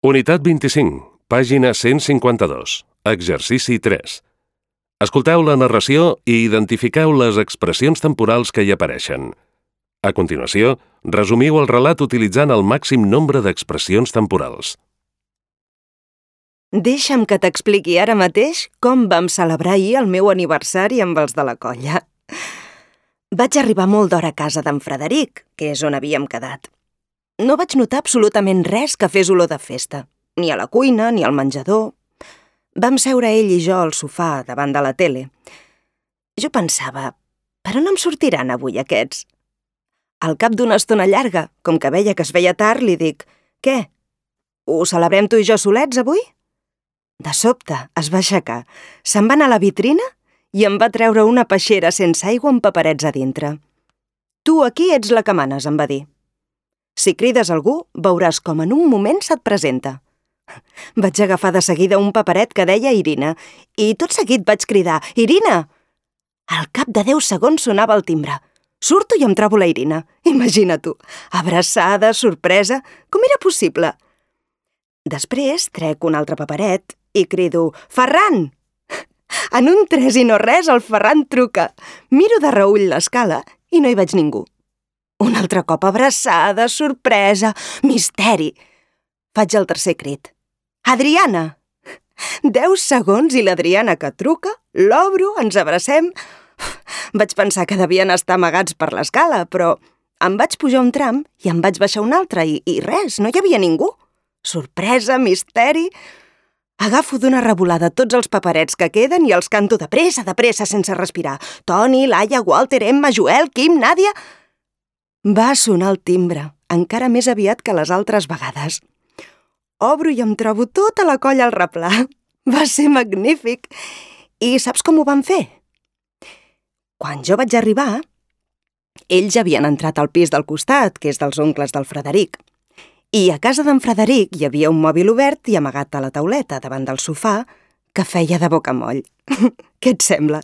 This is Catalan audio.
Unitat 25, pàgina 152, exercici 3. Escolteu la narració i identifiqueu les expressions temporals que hi apareixen. A continuació, resumiu el relat utilitzant el màxim nombre d'expressions temporals. Deixa'm que t'expliqui ara mateix com vam celebrar ahir el meu aniversari amb els de la colla. Vaig arribar molt d'hora a casa d'en Frederic, que és on havíem quedat. No vaig notar absolutament res que fes olor de festa, ni a la cuina ni al menjador. Vam seure ell i jo al sofà davant de la tele. Jo pensava, per on em sortiran avui aquests? Al cap d'una estona llarga, com que veia que es feia tard, li dic, què? Ho celebrem tu i jo solets avui? De sobte es va aixecar, se'n va anar a la vitrina i em va treure una peixera sense aigua amb paperets a dintre. Tu aquí ets la que manes, em va dir. Si crides algú, veuràs com en un moment se't presenta. Vaig agafar de seguida un paperet que deia Irina i tot seguit vaig cridar, Irina! Al cap de 10 segons sonava el timbre. Surto i em trobo la Irina. Imagina tu, abraçada, sorpresa, com era possible? Després trec un altre paperet i crido, Ferran! En un tres i no res, el Ferran truca. Miro de reüll l'escala i no hi veig ningú. Un altre cop abraçada, sorpresa, misteri. Faig el tercer crit. Adriana! 10 segons i l'Adriana que truca, l'obro, ens abracem. Vaig pensar que devien estar amagats per l'escala, però em vaig pujar un tram i em vaig baixar un altre i res, no hi havia ningú. Sorpresa, misteri... Agafo d'una revolada tots els paperets que queden i els canto de pressa, sense respirar. Toni, Laia, Walter, Emma, Joel, Kim, Nàdia... Va sonar el timbre, encara més aviat que les altres vegades. Obro i em trobo tota la colla al replà. Va ser magnífic. I saps com ho van fer? Quan jo vaig arribar, ells ja havien entrat al pis del costat, que és dels oncles del Frederic. I a casa d'en Frederic hi havia un mòbil obert i amagat a la tauleta davant del sofà que feia de bocamoll. Què et sembla?